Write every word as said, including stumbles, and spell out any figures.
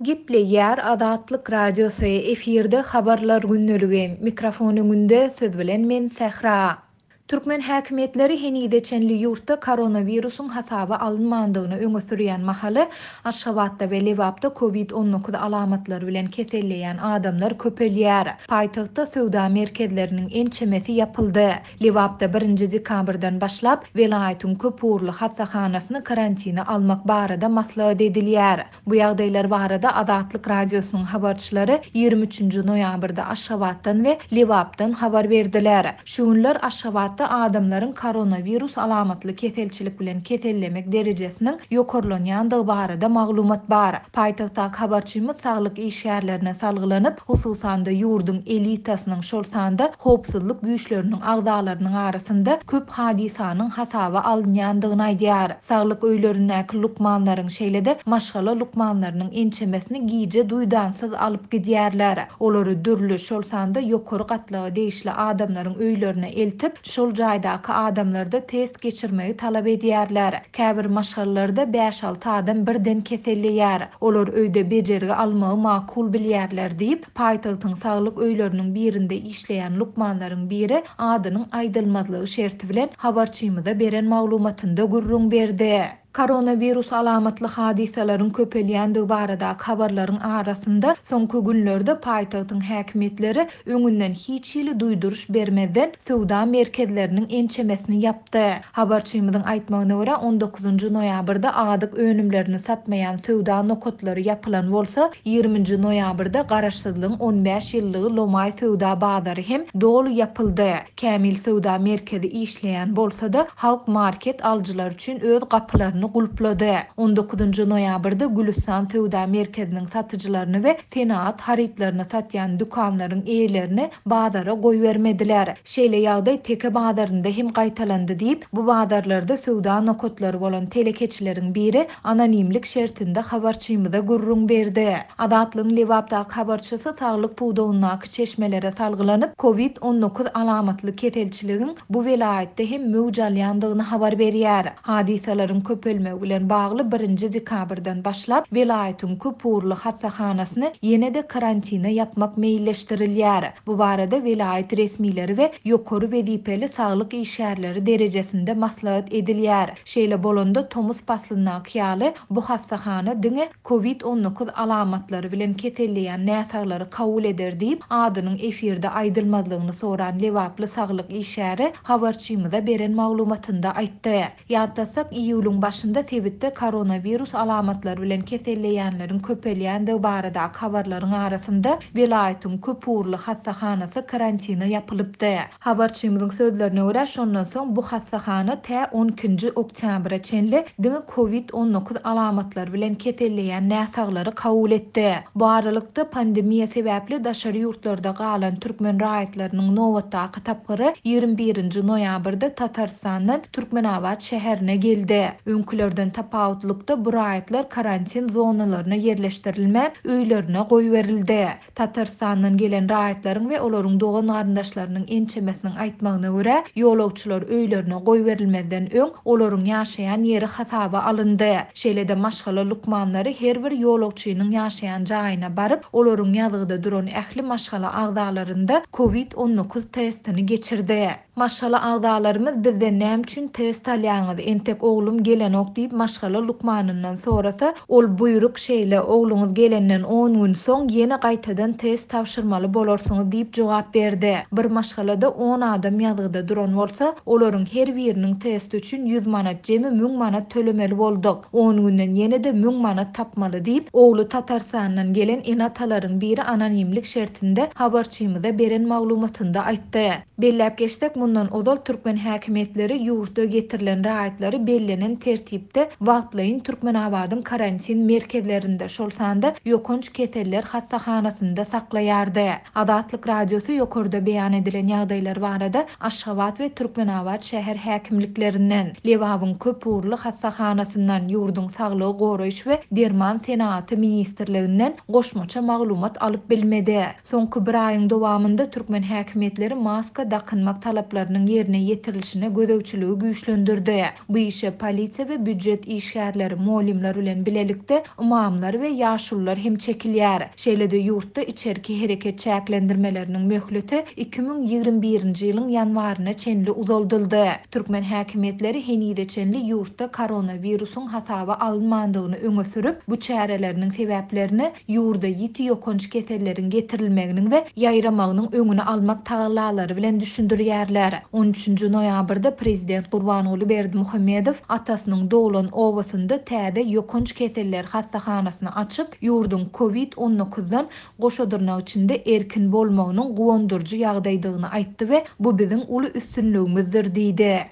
Gepleýär Azatlyk Radiosy, efirde Habarlar gündeligi. Mikrofon öňünde siz bilen men Sähra. Türkmen häkimiýetleri henize çenli ýurtda koronawirusyň hasaba alynmandygyny öňe sürýän mahaly Aşgabatda we Lebapda Covid on dokuz alamatlary bilen keselleýän adamlar köpelýär. Paýtagtda söwda merkezleriniň ençemesi ýapyldy. Lebapda birinji dekabrdan başlap welaýatyň köp ugurly hassahanasyny karantina almak barada maslahat edilýär. Bu ýagdaýlar barada Azatlyk Radiosynyň habarçylary ýigrimi üçünji noýabrda Aşgabatdan we Lebapdan habar berdiler. Şu günler Aşgabatda adamlaryň koronawirus alamatly keselçilik bilen kesellemek derejesiniň ýokarlanýandygy barada maglumat bar. Paýtagtdaky habarçymyz saglyk işgärlerine salgylanyp, hususan-da ýurduň elitasynyň, şol sanda howpsuzlyk güýçleriniň agzalarynyň arasynda köp hadysanyň hasaba alynýandygyny aýdýar. Saglyk öýlerindäki lukmanlaryň, şeýle-de maşgala lukmanlarynyň ençemesini gije duýdansyz alyp gidýärler. Olary dürli, şol sanda ýokary gatlaga degişli adamlaryň öýlerine eltip, şol jaýdaky adamlarda test geçirmegi talap edýärler. Käbir maşgalalarda bäş alty adam birden keselleýär. Olar öýde bejergi almagy makul bilýärler diýip, paýtagtyň saglyk öýleriniň birinde işleýän lukmanlaryň biri adynyň aýdylmazlygy şerti bilen habarçymyza beren maglumatynda gürrüň berdi. Koronavirus alamatly hadysalaryň köpelýändigi baradaky habarlaryň arasynda soňky günlerde paýtagtyň häkimiýetleri öňünden hiç hili duýduryş bermezden söwda merkezleriniň ençemesini ýapdy. Habarçymyzyň aýtmagyna görä on dokuzynjy noýabrda azyk önümlerini satmaýan söwda nokatlary ýapylan bolsa, ýigriminji noýabrda Garaşsyzlygyň on bäş ýyllygy Lomaý söwda bazary hem doly ýapyldy. Kämil söwda merkezi işleýän bolsa-da, Halk market alyjylar üçin öz gapylaryny gulplady. on dokuzynjy noýabrda Gülüstan söwda merkeziniň satyjylaryny we senaat harytlaryny satýan dükanlaryň eýelerini bazara goýbermediler. Şeýle ýagdaý Teke bazarynda hem gaýtalandy diýip, bu bazarlarda söwda nokatlary bolan telekeçileriň biri anonimlik şertinde habarçymyza gürrüň berdi. Azatlygyň Lebapdaky habarçysy saglyk pudagyndaky çeşmelere salgylanyp, Covid on dokuz alamatly keselçiligiň bu welaýatda hem möwç alýandygyny habar berýär. Hadysalaryň köpelmegi bilen bagly birinji dekabrdan başlap welaýatyň köp ugurly hassahanasyny ýene-de karantina ýapmak meýilleşdirilýär. Bu barada welaýat resmileri we ýokary wezipeli saglyk işgärleri derejesinde maslahat edilýär. Şeýle bolanda tomus paslyndaky ýaly bu hassahana diňe Covid on dokuz alamatlary bilen keselleýän näsaglary kabul eder diýip, adynyň efirde aýdylmazlygyny soran Lebaply saglyk işgäri habarçymyza beren maglumatynda aýtdy. Ýatlasak, iýulyň başynda sebitde koronavirus alamatlary bilen keselleýänleriň köpelýändigi baradaky habarlaryň arasynda welaýatyň köp ugurly hassahanasy karantina ýapylypdy. Habarçymyzyň sözlerine görä, şondan soň bu hassahana tä on ikinji oktýabra çenli diňe Covid on dokuz alamatlary bilen keselleýän näsaglary kabul etdi. Bu aralykda pandemiýa sebäpli daşary ýurtlarda galan türkmen raýatlarynyň nobatdaky tapgyry ýigrimi birinji noýabrda Tatarstandan Türkmenabat şäherine geldi. Öňkülerden tapawutlykda bu raýatlar karantin zonalaryna ýerleşdirilmän öýlerine goýberildi. Tatarstandan gelen raýatlaryň we olaryň dogan garyndaşlarynyň ençemesiniň aýtmagyna görä, ýolagçylar öýlerine goýberilmezden öň olaryň ýaşaýan ýeri hasaba alyndy. Şeýle-de maşgala lukmanlary her bir ýolagçynyň ýaşaýan jaýyna baryp, olaryň ýazgyda duran ähli maşgala agzalarynda Covid on dokuz testini geçirdi. Maşgala agzalarymyz bizden näme üçin test alýaňyz, entek oglum gelenok diýip maşgala lukmanyndan sorasa, ol buýruk şeýle, ogluňyz gelenden on gün soň ýene gaýtadan test tabşyrmaly bolarsyňyz diýip jogap berdi. Bir maşgalada on adam ýazgyda duran bolsa, olaryň her biriniň testi üçin ýüz manat, jemi müň manat tölemeli bolduk. On günden ýene-de müň manat tapmaly diýip, ogly Tatarstandan gelen ene-atalaryň biri anonimlik şertinde habarçymyza beren maglumatynda aýtdy. Belläp geçsek, mundan ozal türkmen häkimiýetleri ýurtda getirilen raýatlary bellenen tertipde wagtlaýyn Türkmenabadyň karantin merkezlerinde, şol sanda ýokanç keseller hassahanasynda saklaýardy. Azatlyk Radiosy ýokarda beýan edilen ýagdaýlar barada Aşgabat we Türkmenabat şäher häkimliklerinden, Lebabyň köp ugurly hassahanasyndan, ýurduň saglygy goraýyş we derman senaaty ministrliginden goşmaça maglumat alyp bilmedi. Soňky bir aýyň dowamynda türkmen häkimiýetleri maska dakynmak talaplarynyň ýerine ýetirilişine gözegçiligi güýçlendirdi. Bu işe polisiýa we býujet işgärleri, mugallymlar bilen bilelikde ymamlar we ýaşulular hem çekilýär. Şeýle-de ýurtda içerki hereket çäklendirmeleriniň möhleti iki müň ýigrimi birinji ýylyň ýanwaryna çenli uzaldyldy. Türkmen häkimiýetleri henize çenli ýurtda koronawirusyň hasaba alynmandygyny öňe sürüp, bu çäreleriniň sebäplerini ýurda ýiti ýokanç keselleriň getirilmeginiň we ýaýramagynyň öňüni almak tagallalary bilen düşündirýärler. On üçünji noýabrda prezident Gurbanguly Berdimuhamedow atasynyň doglan obasynda täze ýokanç keseller hassahanasyny açyp, ýurduň kovid on dokuzdan goşa dyrnak içinde erkin bolmagynyň guwandyryjy ýagdaýdygyny aýtdy we bu biziň uly üstünligimizdir diýdi.